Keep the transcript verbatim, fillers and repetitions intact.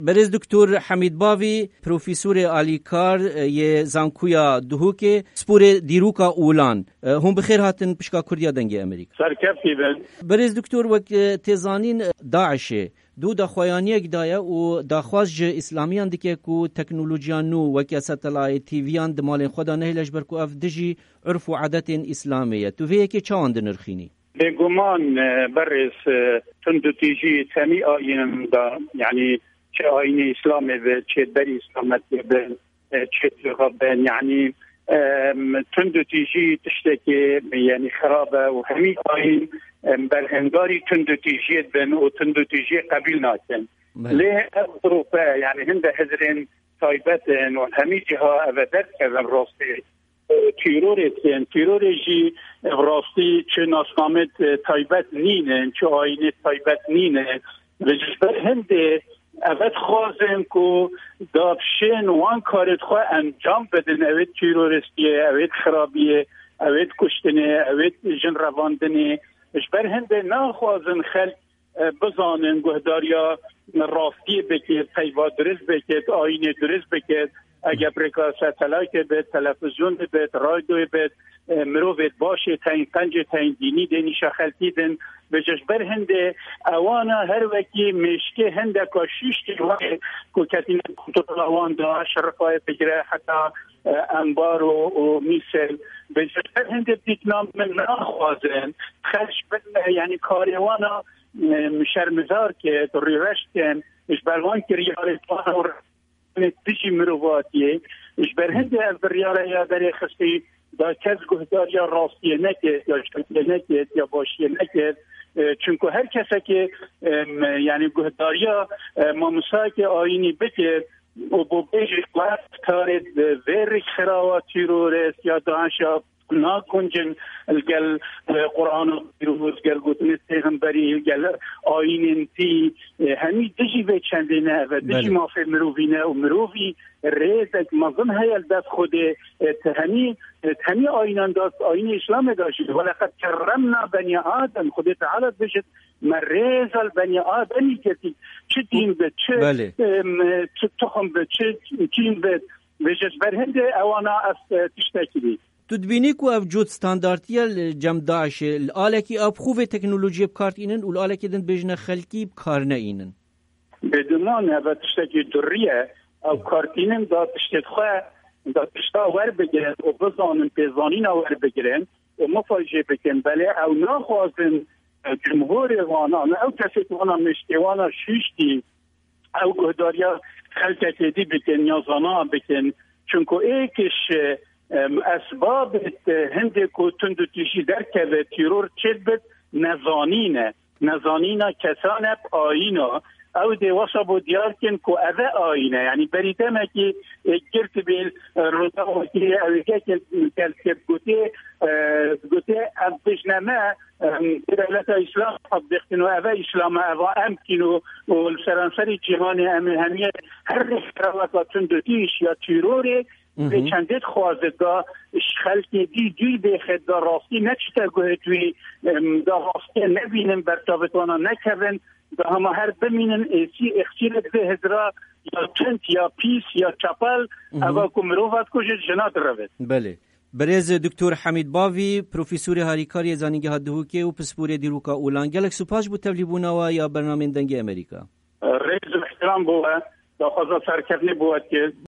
Berêz Doktor Hemîd Bavî, profesorê alîkar yê Zankoya Duhokê, pisporê dîroka olan. Hûn bi xêr hatin pişka Kurdiya Dengê Amerîka. Serkeftî bin. Berêz Doktor, wek tê zanîn, DAIŞê dû daxuyaniyek daye û daxwaz ji îslamiyan dike ku teknolojiya nû weke satelayê, T V'yan di malên xwe de nehêle, ji ber ku ev dijî urf û adetên îslamê ye. Tu vê yekê çawan dinirxînî? Bêguman, e, berêz, e, tundûtîjî temî ayînin de, yanî çi ayînê îslamê be, çi berî îslametiyê be, e, çi tûxa be, yanî, e, tundûtîjî tiştekî, yanî xirab e û hemî ayîn, e, berhengarî tundûtîjiyê dibin û tundûtîjiyê qebîl nakin. Belê. Lê ev grûpe, yanî hinde hizrên taybet in û hemî ciha ev e derdikevin rastî. Tîrorê tên. Tîrorê jî bi rastî çi nasnamêt, e, taybet nîne, çi ayînêt taybet nîne. Ve ji ber hindê ev dixwazin ku da bişên wan karêt xwe encam bidin, ewêt tîroristiyê, ewêt xirabiyê, ewêt kuştinê, ewêt jin revandinê. Ji ber hindê naxwazin xelk e, bizanin, guhdariya rastiyê bikit, peyva dirist bikit, ayînê dirist bikit. Eger bi rêka satelaytê bit, televîzyonê bit, radyoyê bit, e, mirovêt başê teyên qencê teyên dînî dê nîşa xelkî din. Bi ji ber hindê ewana her wekî mêşkê hindeka şûştî wayê ku ketîne kontrola wan da, şerifayê bigire heta, e, embaro û mîsel. Bi ji ber hindê dîtina min naxwazin xelk bin, e, yanî karê wana em, şermizar kir, rîreş kirin, ji ber wan kiryarê wan û dijî mirovatiyê, ji ber hindê ev biryare ya derêxistî da kes guhdariya rastiyê nekir, ya şertiyê nekir, ya başiyê nekir. E, çunku her kesekê, em, yanî guhdariya, e, mamostayekê ayînî bikir û bo bêjî, wek tarê vê rêkxirawa tîrorist ya DAIŞa naguncin li gel, e, Qur'ana pîroz, gel gotinê pêxemberî, gel ayînên tî, e, hemî dijî vê çendê ne, ev e dijî Belê. mafê mirovî ne û mirovî rêzek mezin heye li dest Xwedê, e, ti hemî, e, ti hemî ayînan de, ayînê Îslamê de jî, "Weleqed kerremna benî Adem", Xwedê Teala dibêjit, "Me rêza li benî Ademî girtî." Çi dîn be, çi, Belê. em, çi tuxum be, çi çîn be, vêje ji ber hindê ewana ev, e, tiştekî bî. Tu dibînî ku ev cot standartî ye li cem DAIŞê, li alekî ew bi xwe vê teknolojiyê bi kar tînin û li alekê din dibêjine xelkî bi kar neînin? Bêguman ev tiştekî durrî ye. Ew kartînin da tiştê xwe, da tişta werbigirin û bizanin pêzanîna werbigirin û mifajê bikin. Belê ew naxwazin, e, cumhurê wana, ne ew kesê ku wana mêşkê wana şûştî, ew guhdariya xelkekê dî bikin ya zana bikin. Çunku êkiş, em, esbabê, e, hindê ku tundûtîjî derkeve, tîror çêdibit, nezanîn e. Nezanîna kesan e bi ayîna. Ew dê wesa bo diyar kin ku ev e ayîn e. Yanî berî demekî, e, girtibî, e, Rojavayê ew ê yekê gel kê gotê, e, gotê, em bijne me, em, dewleta Îslam tatbîq kin û ev e Îslam e, eva em kîn û, û li seranserî cîhanê em ê hemiyê her rêkxraweka tundûtîş ya tîrorê Hı hı. vê çendê dixwaze da ji xelkê dî dûr bêxe, da rastî neçite guhê wî, em, da rastiyê nebînin, bertavê wana nekevin, da hema her bimînin, êsî êxçîrek vê hizra ya tund, ya pîs, ya çepel, Hı hı. eva ku mirova dikuje, jina direvit. Belê. Birêz Doktor Hemîd Bavî, profesorê harîkariyê Zanîngeha Duhokê û pisporê dîroka olan, gelek spas ji bo tevlîbûna we ya bernamên Dengê Amerîka. Rêz û îhtiram bo we, daxwaza serkeftinê bo we dike.